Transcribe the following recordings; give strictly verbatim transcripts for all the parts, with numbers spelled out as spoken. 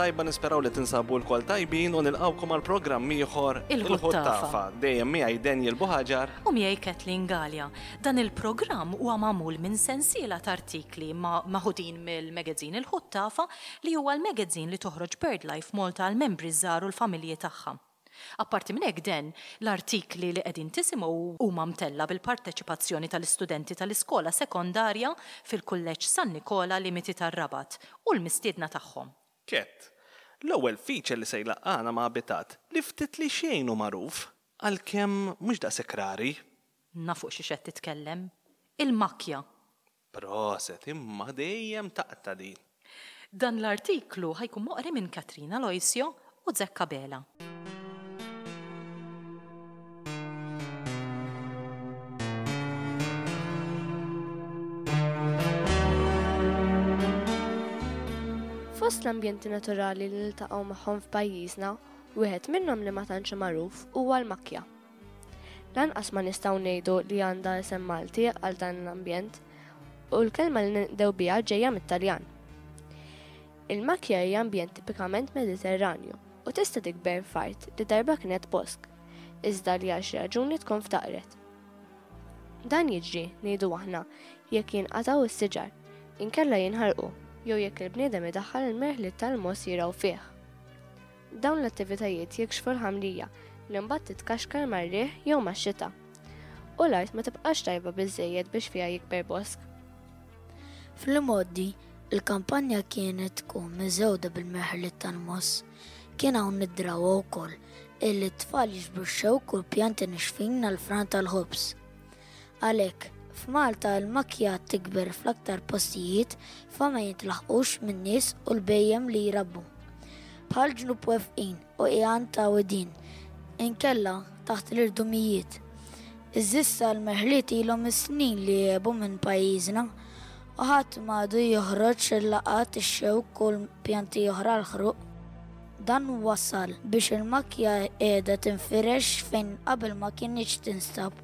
tajba, nisperaw li tinsabu lkoll tajbin u nilqgħukom għal programm ieħor Il-Ħuttafa. Dejjem miegħi Daniel Buhaġar. U miegħi Kathleen Galea. Dan il-programm huwa magħmul minn sensiela ta' artikli ma' maħudin mill-magazine Il-Ħuttafa, li huwa l-magazine li toħroġ BirdLife Malta għal membri żgħar u l-familji tagħha. Apparti minn hekk den, l-artikli li qegħdin tisimgħu huma mtella bil-parteċipazzjoni tal-istudenti tal-iskola sekondarja fil-Kulleġġ San Nikola Limiti tar-Rabat u l-mistiedna tagħhom. Ket, l-ewwel feature li se jlaqqana ma' abitat li ftit li xejn hu magħruf, għalkemm mhux daqshekk rari. Naf fuq xiex qed titkellem. Il-makja. Proset, imma dejjem taqta' din. Dan l-artiklu ħa jkun moqri minn Katrina Loisio u Zekka Bela. Fost l-ambjenti naturali li niltaqgħu magħhom f'pajjiżna, wieħed minnhom li ma tantx magħruf huwa l-makja. Lanqas ma nistgħu ngħidu li għandha isem Malti għal dan l-ambjent, u l-kelma li ninqdew biha ġejja mit-Taljan. Il-makja hija ambjent tipikament Mediterranju u tista' tikber f'art li darba kienet bosk, iżda li għal xi raġuni tkun ftaqret. Dan jiġri, ngħidu aħna, jekk jinqatgħu s-siġar, inkella jinħarqu, jew jekk il-bniedem idaħħal il-merħliet tal-mogħoż jirgħu fih. Dawn l-attivitajiet jikxfu l-ħamrija li mbagħad titkaxkar mar-riħ jew max-xita, u l-art ma tibqax tajba biżżejjed biex fiha jikber bosk. Fl-imgħoddi, il-kampanja kienet tkun miżewda bil-merħliet tal-mogħoż. Kien hawn id-drawwa wkoll illi t-tfal jiġbru x-xewk u l-pjanti nixfin għall-fran tal-ħobż. Għalhekk, f'Malta l-makja tikber fl-aktar postijiet fa ma jintlaħqux min-nies u l-bhejjem li jrabbu. Bħal ġnub wefqin u qiegħan ta' widien, inkella taħt l-irdumijiet. Iżissa l-merħliet ilhom is-snin li jgħebu minn pajjiżna u ħadd m'għadu joħroġ il-laqat ix-xewk u l-pjanti oħra l-ħruq. Dan wassal biex il-makja qiegħda tinfirex fejn qabel ma kinitx tinstab.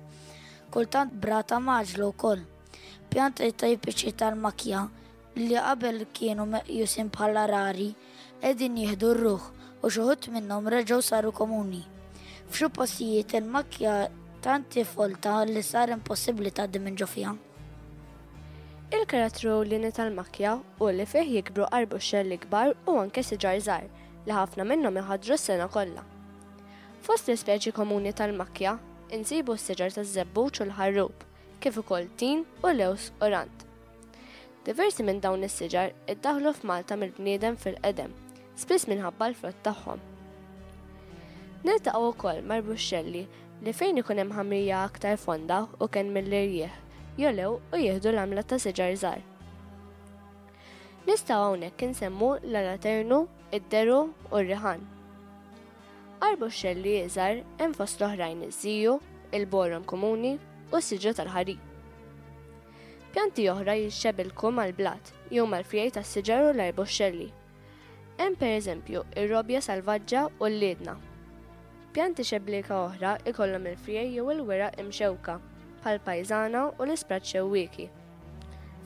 Kultant brata maġlu wkoll. Pjanti tipiċi tal-makja li qabel kienu meqjusin bħala rari qegħdin jieħdu r-ruħ u xi wħud minnhom reġgħu saru komuni. F'xi postijiet il-makja tant folta li sar impossibbli tgħaddi minn ġo fiha. Il-karattru ewlieni tal-makja hu li fih jikbru arbuxxelli kbar u anke siġar żgħar li ħafna minnhom iħaddru s-sena kollha. Fost l-ispeċi komuni tal-makja insibu s-siġar taż-żebbuġ u l-ħarrub, kif ukoll tin u lews u rand. Diversi minn dawn is-siġar iddaħlu f'Malta mill-bniedem fil-qedem, spiss minħabba l-frott tagħhom. Niltaqgħu wkoll marbuxxelli li fejn ikun hemm ħamrija aktar fonda u kenn mill-irjieħ, jolew u jieħdu l-għamla ta' siġar żgħar. Nistgħu hawnhekk insemmu l-alaternu, id-deru u r-riħan. Arbuxxelli iżgħar hemm fost l-oħrajn iż-żiju, il-borom komuni u s-siġra tal-ħarir. Pjanti oħra jixxebilku mal-blat jew mal-frijaj tas-siġar u l-arbuxxelli. Hemm pereżempju ir-robja salvaġġa u l-liedna. Pjanti xeblika oħra ikollhom il-frijaj jew il-weraq imxewka bħal pajżana u l-isprat xewwieki.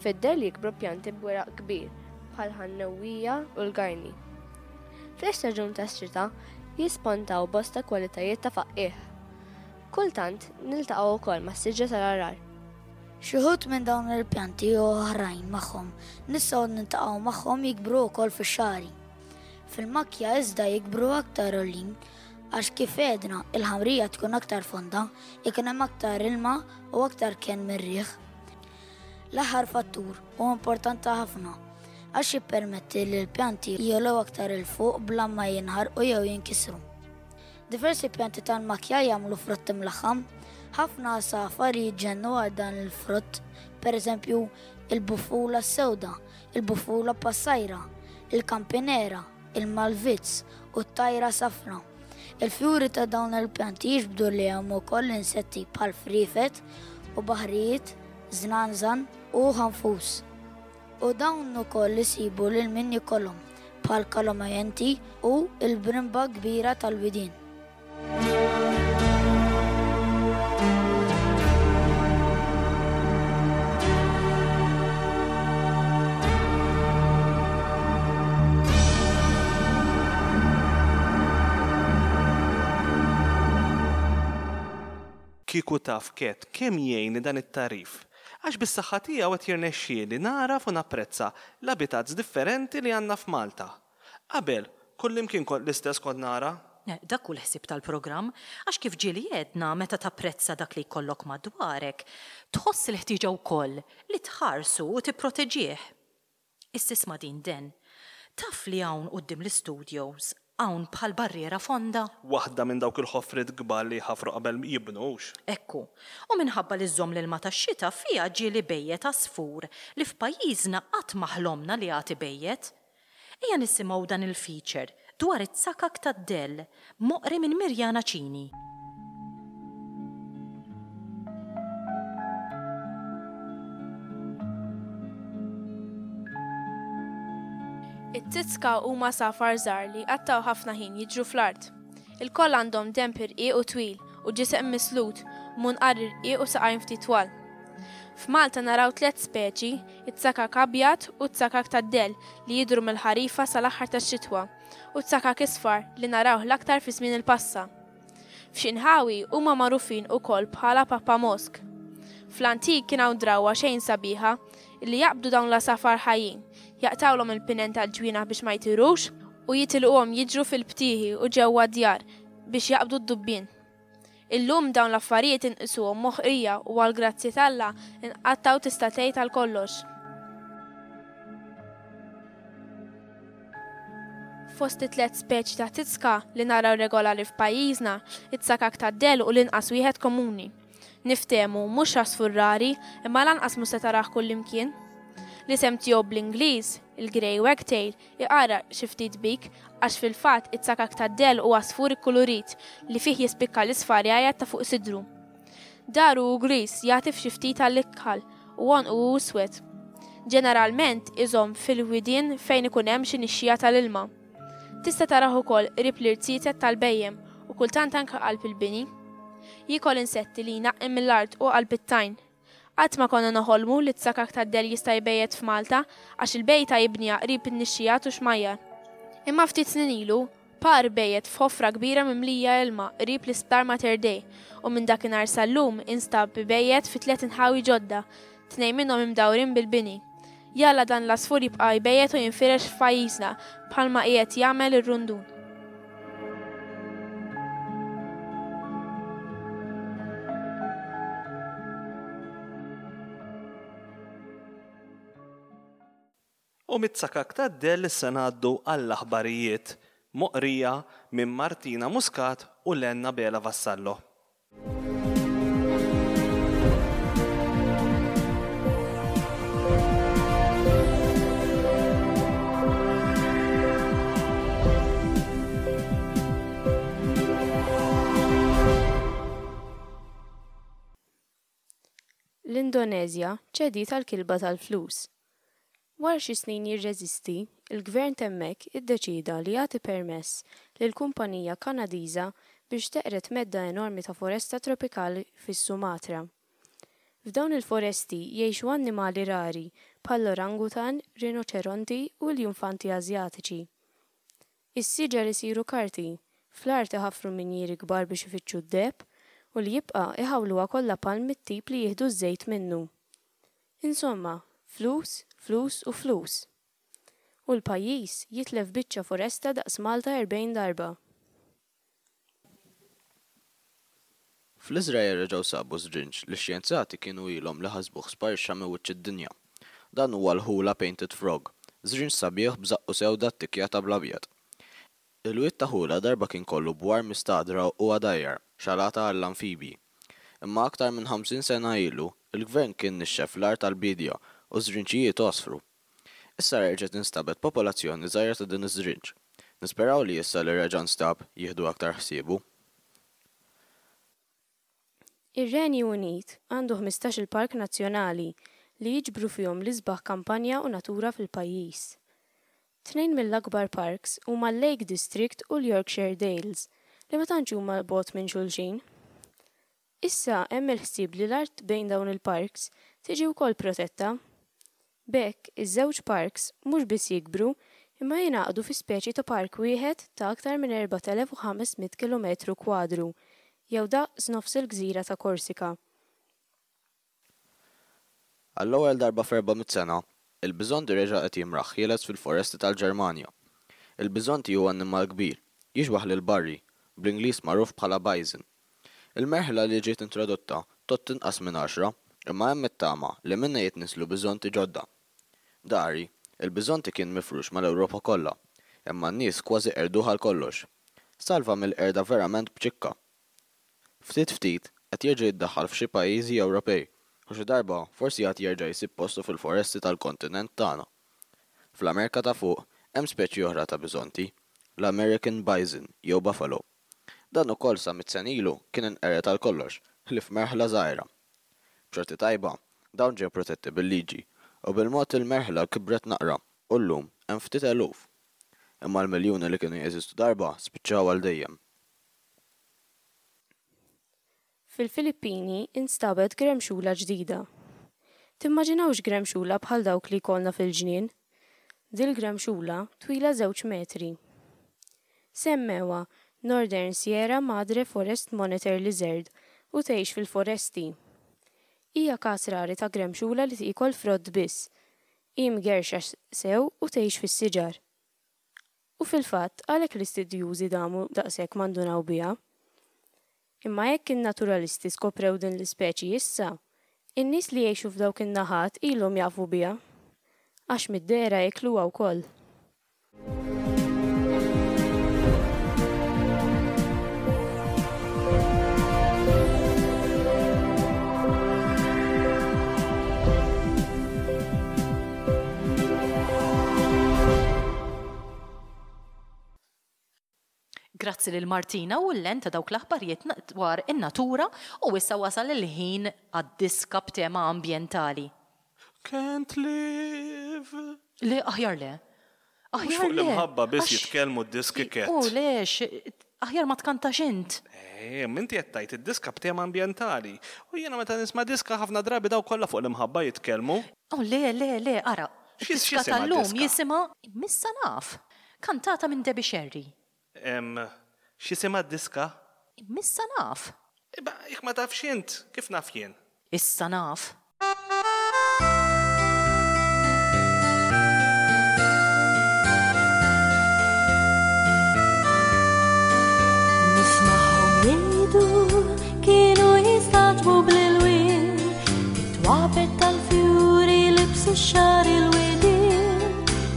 Fid-del jikbru pjanti b'weraq kbir bħal ħannewwija u l-garni. Fl-istaġun tax-xita jispontaw bosta kwalitajiet ta' faqqiegħ. Kultant niltaqgħu wkoll mas-siġra tal-arar. Xi wħud minn dawn il-pjanti u oħrajn magħhom nistgħu niltaqgħu magħhom jikbru wkoll fix-xagħri. Fil-makja iżda jikbru aktar għolin għax kif għedna il-ħamrija tkun aktar fonda, ikun hemm aktar ilma u aktar kenn mir-riħ. L-aħħar fattur huwa importanti ħafna għax jippermetti li l-pjanti jogħlew aktar 'il fuq bla ma jinħarqu jew jinkisru. Diversi pjanti tal-makja jagħmlu frott imlaħħam, ħafna għasafar jiġġennu għal dan il-frott, pereżempju il-bufula s-sewda, il-bufula passajra, il-kampinera, il-malvizz u t-tajra safra. Il-fjuri ta' dawn il-pjanti jiġbdu lejhom ukoll insetti bħal frifet u baħrijiet, żnanżan u ħanfus. U dawn ukoll isibu lil min jkollhom bħal kalomajenti u l-brimba kbira tal-widien. Kieku taf Kat kemm jgħinni dan it-tagħrif. Għax bis-saħħa tiegħu qed jirnexxieli nagħraf u napprezza l-habitats differenti li għandna f'Malta. Qabel, kullimkien kont l-istess kont nara. Eh, dak hu l-ħsieb tal-programm, għax kif ġieli għedna meta tapprezza dak li jkollok madwarek, tħoss il-ħtieġa wkoll li tħarsu u tipproteġih. Issa isma' din Den. Taf li hawn quddiem l-istudios hawn bħal barriera fonda? Waħda minn dawk il-ħofriet kbar li jħaffru qabel jibnu hux? Ekku. U minħabba li żżomm l-ilma tax-xita fiha ġieli bejjet għasfur li f'pajjiżna qatt ma ħlomna li għad ibejjet. Ejja nisimgħu dan il-feature dwar it-tsakak tad-dell moqri minn Mirjana Cini. It-tizka huma għasafar żgħar li jqattgħu ħafna ħin jiġru fl-art. Ilkoll għandhom denb irqiq u twil u ġisem mislut, munqar irqiq u saqajn ftit twal. F'Malta naraw tliet speċi, it-tsakak abjad u t-tsakak tad-dell li jidhru mill-ħarifa sal-aħħar tax-xitwa, u t-tsakak isfar li narawh l-aktar fi żmien il-passa. F'xi nħawi huma magħrufin ukoll bħala Papa Mosk. Fl-antik kien hawn drawwa xejn sabiħa li jaqbdu dawn l-għasafar ħajjin, jaqtawlhom il-pinen tal-ġwienaħ biex ma jtirux u jitilquhom jiġru fil-btieħi u ġewwa d-djar biex jaqbdu d-dubbien. Illum dawn l-affarijiet inqisuhom moħqrija u għal grazzi t'Alla inqattgħu tista' tgħid għal kollox. Fost it-tliet speċi ta' tizka li naraw regolari f'pajjiżna, it-tsakak tad-dell u l-inqas wieħed komuni. Niftehmu mhux għasfur rari, imma lanqas mhux se tarah kullimkien. L-isem tiegħu bl-Ingliż, il-Grey Wagtail, iqara xi ftit bik għax fil-fatt it-tsakak tad-dell huwa għasfur ikkulurit li fih jispikka l-isfar jgħajjat ta' fuq sidru. Daru hu griż jagħti f'xi ftit għall-ikħal u għonqu hu iswed. Ġeneralment iżomm fil-widien fejn ikun hemm xi nixxija tal-ilma. Tista' tarah ukoll qrib l-irziezet tal-bejjem u kultant anke qalb il-bini. Jiekol insetti li jnaqqi mill-art u qalb it-tajn. Qatt ma konna noħolmu li t-tsakak tad-dell jista' jbejjet f'Malta għax il-bejta jibniha qrib in-nixxijat u xmajjar. Imma ftit snin ilu, par bejjet f'ħofra kbira mimlija ilma qrib l-isptar Mater Dei u minn dakinhar sal-lum instab bejjet fi tliet inħawi ġodda, tnejn minnhom imdawrin bil-bini. Jalla dan l-għasfur jibqa' jbejjet u jinfirex f'pajjiżna bħalma qiegħed jagħmel ir-rundun. U mit-tsakak tad-dell issa ngħaddu għall-aħbarijiet moqrija minn Martina Muscat u Lenna Bela Vassallo. L-Indonezja ċediet għall-kilba tal-flus. Wara xi snin jirreżisti, il-gvern t'hemmhekk iddeċieda li jagħti permess lil kumpanija Kanadiża biex teqred medda enormi ta' foresta tropikali fis-Sumatra. F'dawn il-foresti jgħixu annimali rari bħall-orangutan, rinoċeronti u l-junfanti Asjatiċi. Is-siġar isiru karti, fl-art iħaffru minjieri kbar biex ifittxu d-deheb u li jibqa' iħawluha kollha palm mit-tip li jieħdu ż-żejt minnu. Insomma, flus, flus u flus. U l-pajjiż jitlef biċċa foresta daqs Malta erbgħin darba. Fl-Iżrael reġgħu sabu żrinġ li x-xjenzati kienu ilhom li ħasbuh sparixxa minn wiċċ id-dinja. Dan huwa l-Hula Painted Frog, żrinġ sabiħ b'żaqqu sewda ttikkjata bl-abjad. Il-wied ta' Hula darba kien kollu bwar mistagħdra u għadajjar, xalata għall-anfibji. Imma aktar minn ħamsin sena ilu, il-gvern kien nixxef l-art tal-bidja u żrinġijiet għosfru. Issa reġgħet instabet popolazzjoni żgħira ta' din iż-żrinġ. Nisperaw li issa li reġa' nstab jieħdu aktar ħsiebu. Ir-Renju Unit għandu ħmistax-il park nazzjonali li jiġbru fihom l-isbaħ kampanja u natura fil-pajjiż. Tnejn mill-akbar parks huma l-Lake District u l-Yorkshire Dales li ma tantx huma 'l bogħod minn xulxin. Issa hemm il-ħsieb li l-art bejn dawn il-parks tiġi wkoll protetta. B'hekk, iż-żewġ parks mhux biss jikbru, imma jingħaqdu fi speċi ta' park wieħed ta' aktar minn erbat elef u ħames mitt kilometru kwadru, jew daqs nofs il-gżira ta' Korsika. Għall-ewwel darba f'erba' mitt sena, il-biżonti reġa' qed jimraħ ħieles fil-foresti tal-Ġermanja. Il-biżonti huwa annimal kbir, jixbah lil barri, bl-Ingliż magħruf bħala bison. Il-merħla li ġiet introdotta tgħodd inqas minn għaxra, imma hemm it-tama li minnha jitnisslu biżonti ġodda. Dari, il-biżonti kien mifrux mal-Ewropa kollha, imma n-nies kważi qerduh għal kollox. Salva mill-qerda verament b'ċikka. Ftit ftit qed jerġa' jiddaħħal f'xi pajjiżi Ewropej u xi darba forsi għad jerġa' jsib postu fil-foresti tal-kontinent tagħna. Fl-Amerika ta' Fuq hemm speċi oħra ta' biżonti, l-American bison jew buffalo. Dan ukoll sa mitt sena ilu kien inqered għal kollox, ħlief merħla żgħira. B'xorti tajba, dawn ġew protetti bil-liġi u bil-mod il-merħla kibret naqra u llum hemm ftit eluf. Imma l-miljuni li kienu jeżistu darba spiċċaw għal dejjem. Fil-Filippini instabet gremxula ġdida. Timmaġinawx gremxula bħal dawk li jkollna fil-ġnien? Dil-gremxula twila żewġ metri. Semmewha Northern Sierra Madre Forest Monitor Lizard u tgħix fil-foresti. Hija każ rari ta' gremxula li tiekol frott biss. Hi mgerxa sew u tgħix fis-siġar. U fil-fatt għalhekk l-istudjużi damu daqshekk ma ndunaw biha. Imma jekk in-naturalisti skoprew din l-ispeċi issa, in-nies li jgħixu f'dawk in-naħat ilhom jafu biha. Għax mid-dehra jikluha wkoll. Grazzi lil Martina u l-len ta' dawk l-aħbarijiet dwar in-natura u issa wasal il-ħin għad-diska b'tema ambjentali. Can't live. Le, aħjar le. Mhux Aħjar fuq le. l-imħabba biss Għax- jitkellmu d-diski Kat. U lex, aħjar ma tkantax int. Eh, minti qed tgħid id-diska b'tema ambjentali. U jiena meta nisma' diska ħafna drabi daw kollha fuq l-imħabba jitkellmu. Oh, le, le, le, ara. X'is- Diska x'isimha tal-lum d-diska? jisimha Missa Naf. Kantata minn Debbie Sherry. Em, x'isimha d-diska? Missa naf. Iba, jekk ma tafx int, kif naf jien? Issa naf. Nismagħhom jgħidu kienu jistaġbu bl-ilwien, it-twapet tal-fjuri libsu x-xagħar il-widien,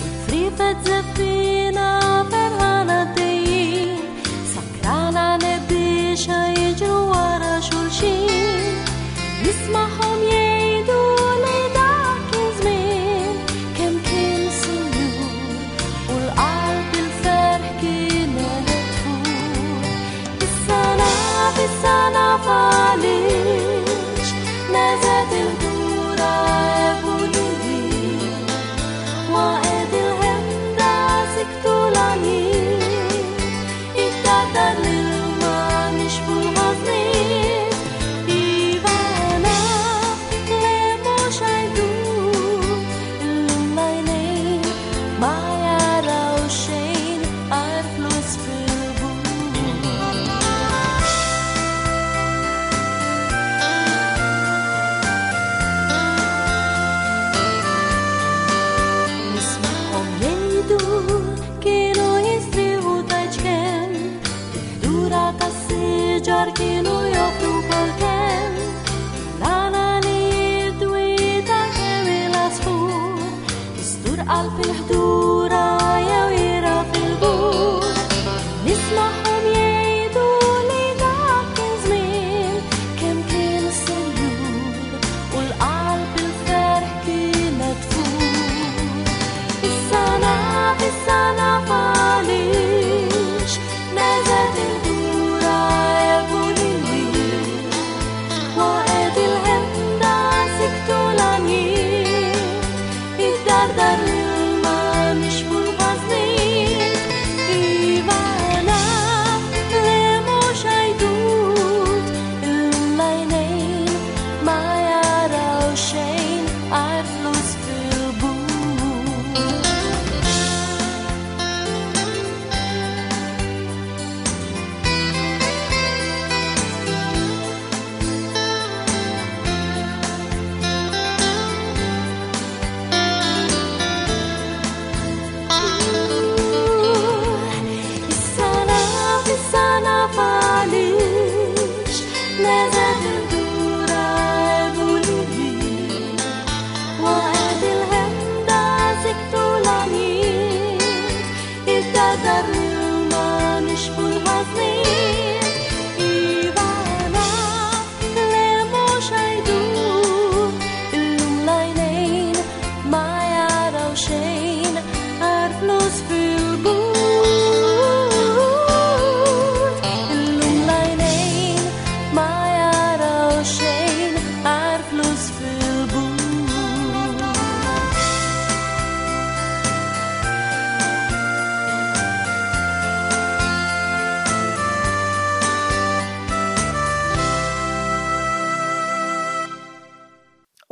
il-frifet żeffina ferħana għaddejjin, sakrana nebbixa jiġru wara xulxin. Nismagħhom jgħidu li dak kien żmien kemm kien sinjur u l-qalb il-ferħ kienet tfur. Issa naf, issa naf għaliex neżgħet il-ħdura ebulin, waqgħet il-ħemda siktu l-għanjiet, ittardar l-ilma nixfu l-ħażniet. Iva naf li mhux għajdut, illum l-għajnejn ma jaraw xejn għajr flus fil-but.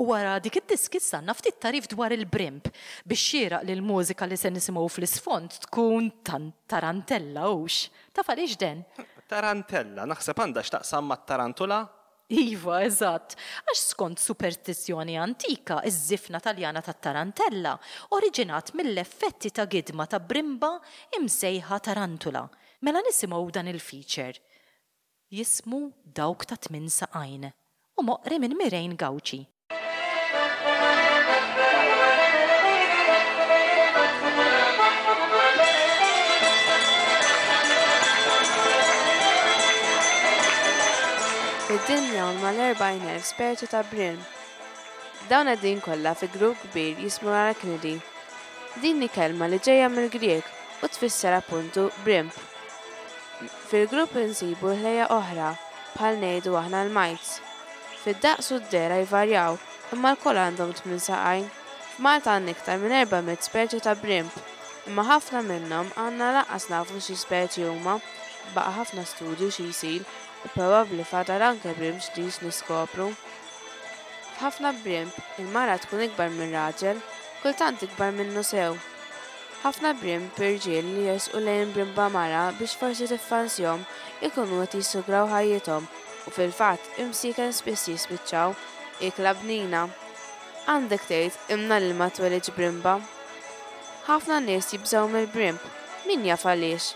U wara dik id-diski issa għandna ftit tagħrif dwar il-brimb biex xieraq li l-mużika li se nisimgħu fl-isfond tkun tan tarantella hux. Taf għaliex Den? Tarantella, naħseb għandha x'taqsam mat-tarantula? Iva, eżatt. Għax skont superstizzjoni antika, iż-żifna Taljana tat-tarantella oriġinat mill-effetti ta' gidma ta' brimba imsejħa tarantula. Mela nisimgħu dan il-feature. Jismu Dawk ta' Tmien Saqajn u moqri minn Mirejn Gauci. Fid-dinja hawn mal-erbgħin elf speċi ta' brimb. Dawn qegħdin kollha fi grupp kbir jismu arachnidi. Din hi kelma li ġejja mill-Grieg u tfisser appuntu brimb. Fil-grupp insibu ħlejja oħra bħal ngħidu aħna l-mites. Fid-daqs u d-dehra jvarjaw, imma lkoll għandhom tmien saqajn. F'Malta għandna iktar minn erba' mitt speċi ta' brimb, imma ħafna minnhom għandna lanqas nafu xi speċi huma. Baqa' ħafna studju xi jsir u probabbli fadal anke brimb ġdid niskopru. F'ħafna brimb, il-mara tkun ikbar minn raġel, kultant ikbar minnu sew. Ħafna brimb irġiel li jersqu lejn brimba mara biex forsi tiffansjhom ikunu qed jissugraw ħajjithom u fil-fatt imsieken spiss jispiċċaw ikla bnina. Għandek tgħid imna li ma twelidx brimba. Ħafna nies jibżgħu mill-brimb, min jaf għaliex.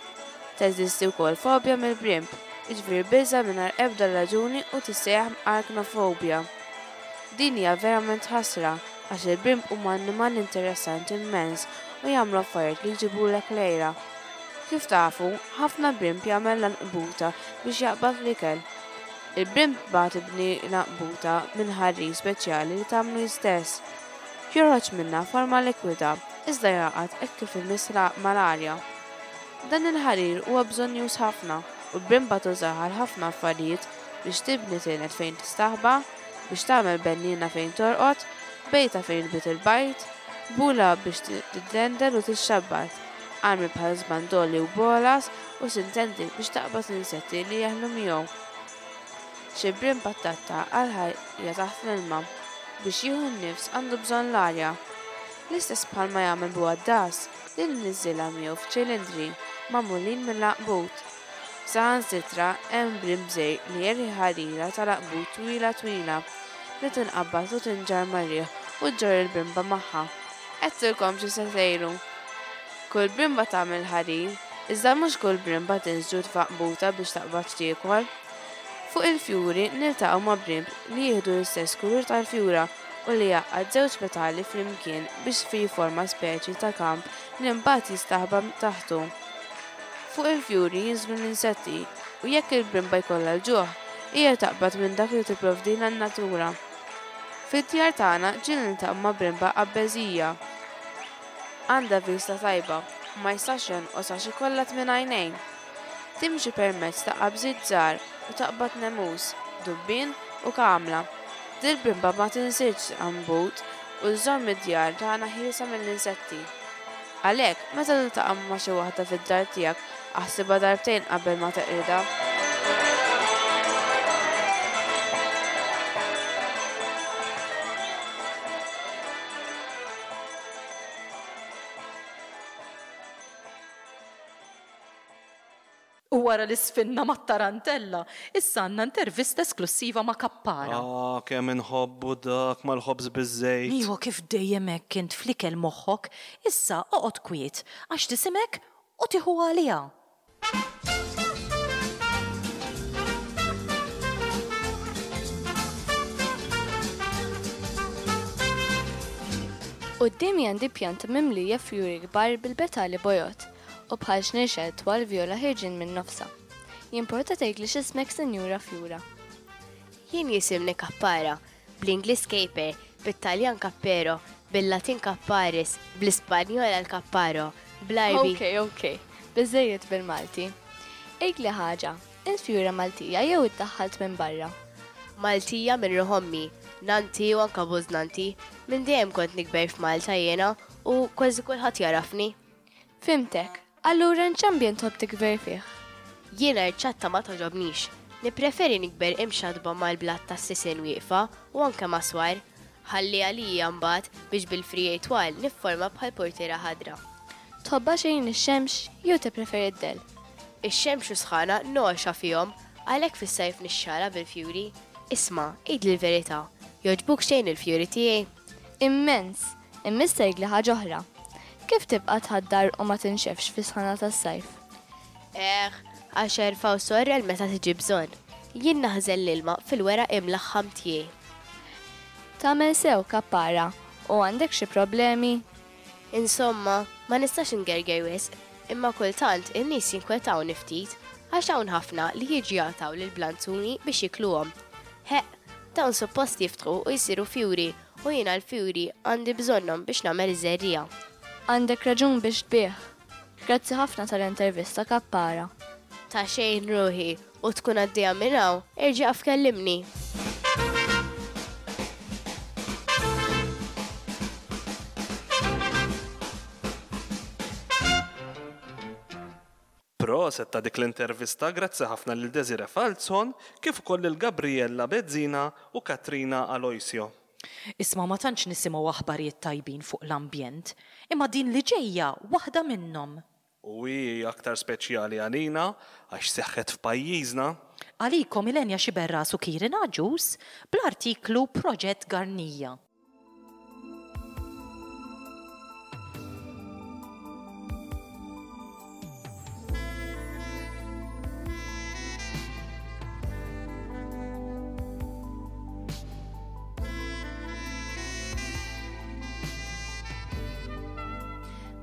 Teżisti wkoll fobja mill-brimb, jiġifieri biża' mingħajr ebda raġuni u tissejjaħ arachnofobia. Din hija verament ħasra għax il-brimb huma annimali interessanti immens u jagħmlu affarijiet li jġibulek lejra. Kif tafu, ħafna brimb jagħmel l-anqbuta biex jaqbad l-ikel. Il-brimb bagħad ibni l-anqbuta minn ħarrir speċjali li tagħmlu hi stess. Joħroġ minnha forma likwida, iżda jaqgħad hekk kif imiss mal-arja. Dan il-ħarir huwa bżonnjuż ħafna u l-brimba tużah għal ħafna affarijiet biex tibni tined fejn tistaħba, biex tagħmel benniena fejn torqod, bejta fejn tbit il-bajt, bula biex tiddendel u tixxabbat, armi bħal żbandoli u bolas u sintendi biex taqbad insetti li jeħlu miegħu. Xi brimba tatta għal ħajja taħt l-ilma biex jieħu n-nifs għandu bżonn l-arja. L-istess bħalma jagħmel bugħaddas li nniżżilha miegħu f'ċilindri magħmulin mill-għanqbut. Saħansitra hemm brimb żgħir li jerħi ħarira tal-għanqbut twila twila li tinqabad u tinġarr mar-riħ u ġġorr il-brimba magħha. Għedtilkom xi se tgħidu. Kull brimba tagħmel ħarir, iżda mhux kull brimba tinżġu f'għanqbuta biex taqbad x'tiekol. Fuq il-fjuri niltaqgħu ma' brimb li jieħdu l-istess kulur tal-fjura u li jgħaqqad żewġ petali flimkien biex jiforma speċi ta' kamp li mbagħad jistaħba taħtu. Fuq il-fjuri jinżlu l-insetti u jekk il-brimba jkollha l-ġuħ, hija taqbad minn dak li tipprovdilha n-natura. Fid-djar tagħna ġieli niltaqgħu ma' brimba qabbeżija. Għandha vista tajba u ma jistax jonqos għax ikollha tmien għajnejn. Timxi permezz ta' qabżiet żgħar u taqbad nemus, dubbien u kamla. Dil-brimba ma tinsilx għanbut u żżomm id-djar tagħna ħielsa mill-insetti. Għalhekk, meta tiltaqa' ma' xi waħda fid-dar tiegħek, aħsibha darbtejn qabel ma teqridha. U wara li sfinna mat-tarantella, issa għandna intervista esklusiva ma' Kappara. Ah, kemm inħobbu dak mal-ħobż biż-żejt. Iwa, kif dejjem hekk int fl-ikel moħħok, issa oqgħod kwiet għax tisimek u tieħu għaliha. Quddiemi għandi pjanta mimlija fjuri kbar bil-petali bojod u bħal xnixel twal vjola ħirġin minn nofsa. Jimporta tgħidli x'ismek, Sinjura Fjura? Jien jisimni Kappara, bl-Ingliż Caper, bit-Taljan Cappero, bil-Latin Capparis, bl-Ispanjol El Capparo, bl-Arbi. Ok, ok, biżejjed bil-Malti. Għidli ħaġa, int fjura Maltija jew iddaħħalt minn barra? Maltija minn ruħommi, nanti u anka bużnanti, minn dejjem kont nikber f'Malta jiena u kważi kulħadd jarafni. Fimtek, allura nċambjen tħobb tikber fih? Jiena rċatta ma toġobnix. Nippreferi nikber imxadba mal-blat tas-sisien wieqfa u anke ma' swar. Ħalli għalija mbagħad biex bil-friegħi twal nifforma bħal portiera ħadra. Tħobbha xejn ix-xemx jew tippreferi d-dell? Ix-xemx u sħana noxa fihom, għalhekk fis-sajf nixxala bil-fjuri. Isma', għidli l-verità, jogħġbuk xejn il-fjuri tiegħi? Immens! Imma issa jgħidli ħaġa oħra. Kif tibqa' tħaddar u ma tinxefx fis-sħana tas-sajf? Eħ, għax erfa' u sorrel meta tiġi bżonn. Jien naħżen l-ilma fil-weraq imlaħħam tiegħi. Tagħmel sew kappara u għandek xi problemi? Insomma, ma nistax ingerger wisq, imma kultant in-nies jinkwetawni ftit għax hawn ħafna li jiġu jaqtgħu lill-blanzuni biex jikluhom. Ħeqq, dawn suppost jiftħu u jsiru fjuri u jiena l-fjuri għandi bżonnhom biex nagħmel iż-żerriegħa. Għandek raġun biex tbigħ. Grazzi ħafna tal-intervista kappara. Ta' xejn ruħi u tkun għaddejja minn hawn, erġa' fkellimni. Proset ta' dik l-intervista, grazzi ħafna lil Desire Falzon, kif ukoll lil Gabriella Bezzina u Katrina Aloisio. Isma' ma tantx nisimgħu aħbarijiet tajbin fuq l-ambjent, imma din li ġejja waħda minnhom. U hi aktar speċjali għalina għax seħħet f'pajjiżna. Għalikom Ilenja Xiberras u Kieran Agius bl-artiklu Proġett Garnija.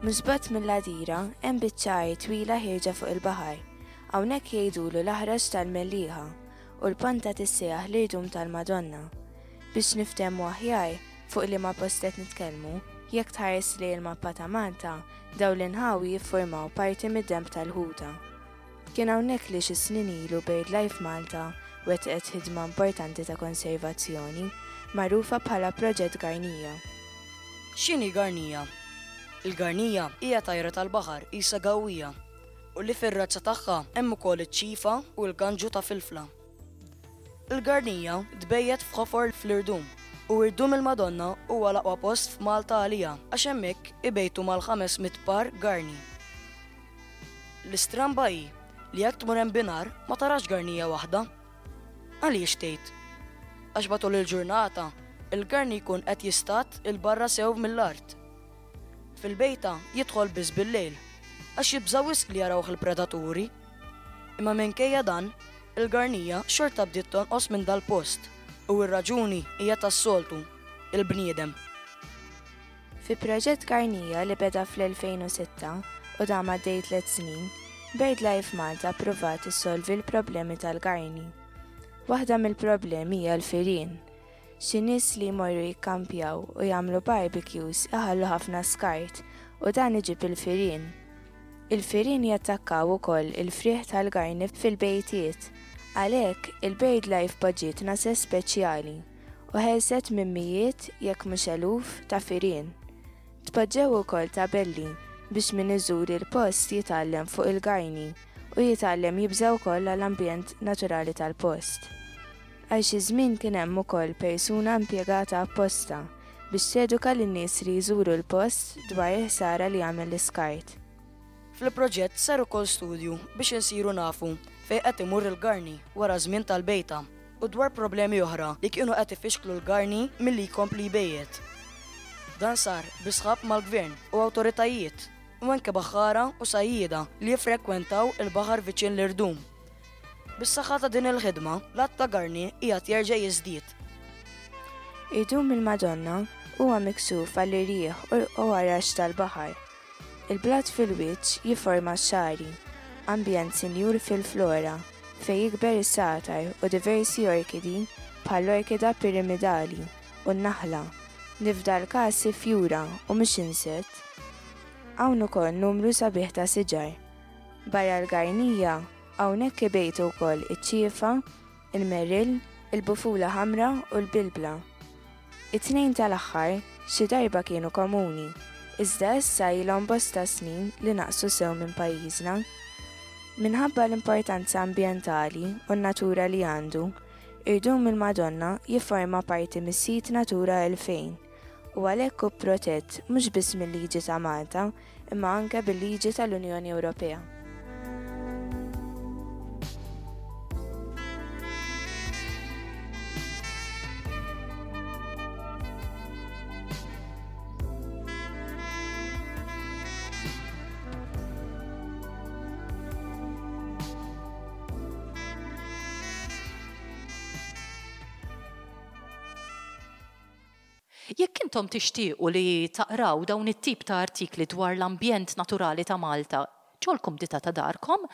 Mhux bogħod mill-Għadira hemm biċċa art twila ħierġa fuq il-baħar. Hawnhekk jgħidulu l-aħraġ tal-Mellieħa u l-ponta tissejjaħ l-irdum tal-Madonna. Biex niftehmu aħjar fuq liema post qed nitkellmu, jekk tħares lejn il-mappa ta' Malta, dawn l-inħawi jiffurmaw parti mid-demb tal-Ħuta. Kien hawnhekk li xi snin ilu BirdLife Malta wettqet ħidma importanti ta' konservazzjoni magħrufa bħala Proġett Garnija. X'inhi Garnija? Il-garnija hija tajra tal-baħar qisha gawwija u li fir-razza tagħha hemm ukoll iċ-ċifa u l-ganġu ta' filfla. Il-garnija tbejjet f'ħofor fl-irdum u irdum il-Madonna huwa l-aqwa post f'Malta għalija għax hemmhekk ibejtu mal-ħames mitt par garni. L-istramba hi li jekk tmur hemm binar ma tarax garnija waħda. Għaliex tgħid? Għax matul il-ġurnata il-garni jkun qed jistat il-barra sew mill-art. Fil-bejta jidħol biss bil-lejl, għax jibża' wisq li jarawh il-predaturi. Imma minkejja dan, il-garnija xorta bdiet tonqos minn dal-post u r-raġuni hija tas-soltu, il-bniedem. Fi Proġett Garnija li beda fl-elfejn u sitta u dam għaddej tliet snin, BirdLife Malta ppruvat issolvi l-problemi tal-garni. Waħda mill-problemi hija l-firien. Xi nies li jmorru jikkampjaw u jagħmlu barbecues iħallu ħafna skart u dan iġib il-firien. Il-firien jattakkaw ukoll il-frieħ tal-garni fil-bejtiet. Għalhekk il-BirdLife poġġiet nases speċjali u ħelset minn mijiet jekk mhux eluf ta' firien. Tpoġġew ukoll tabelli biex min iżur il-post jitgħallem fuq il-garni u jitgħallem jibża' wkoll għall-ambjent naturali tal-post. Għal xi żmien kien hemm ukoll persuna impjegata apposta biex teduka lin-nies li jżuru l-post dwar il-ħsara li jagħmel l-iskart. Fil-proġett sar ukoll studju biex insiru nafu fejn qed imur il-garni wara żmien tal-bejta u dwar problemi oħra li kienu qed ifixklu l-garni milli jkompli jbejjet. Dan sar bi sħab mal-gvern u awtoritajiet u anke baħħara u sajjieda li jiffrekwentaw il-baħar viċin l-irdum. Bis-saħħa ta' din il-ħidma, l-għadd ta' garni qiegħed jerġa' jiżdied. Irdum il-Madonna huwa miksuf għall-irjieħ u għarax tal-baħar. Il-blat fil-wiċċ jiforma x-xagħri, ambjent sinjur fil-flora, fejn jikber is-satar u diversi orkidi bħall-orkida piramidali u n-naħla, li f'dal każ fjura u mhux insett. Hawn ukoll numru sabiħ ta' siġar. Barra l-garnija, hawnhekk ibejtu wkoll iċ-ċiefa, il-merrill, il-bufula ħamra u l-bilbla. It-tnejn tal-aħħar xi darba kienu komuni, iżda issa ilhom bosta snin li naqsu sew minn pajjiżna. Minħabba l-importanza ambjentali u n-natura li għandu, Irdum il-Madonna jifforma parti mis-sit Natura elfejn u għalhekk hu protett mhux biss mil-liġi ta' Malta imma anke bil-liġi tal-Unjoni Ewropea. Jekk intom tixtiequ li taqraw dawn it-tip ta' artikli dwar l-ambjent naturali ta' Malta ġol-kumdità ta' darkom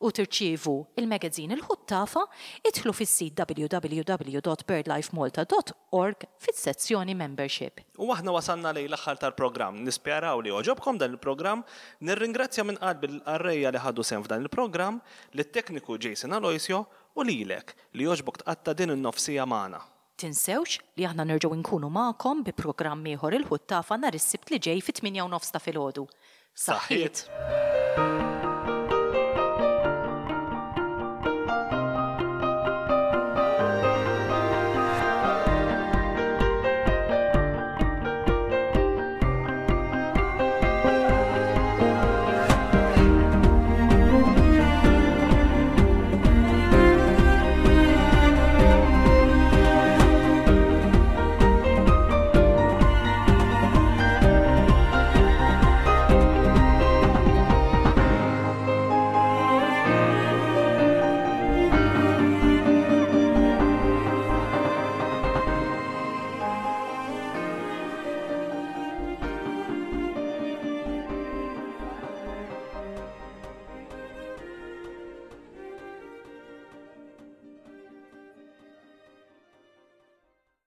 u tirċievu il-magazine Il-Ħuttafa, idħlu fis-sit w w w dot birdlifemalta dot org fis-sezzjoni Membership. U aħna wasalna lejn l-aħħar tal-programm. Nisperaw li għoġobkom dan il-programm. Nirringrazzja minn qalbi lill-qarrejja li ħadu sehem f'dan il-programm, lit-tekniku Jason Aloisio u lilek li għoġbok tqatta' din in-nofsija magħna. Tinsewx li aħna nerġgħu nkunu magħkom bi programm ieħor Il-Ħuttafa nhar is-Sibt li ġej fit-tmienja u nofs ta' filgħodu. Saħħiet! Saħħiet!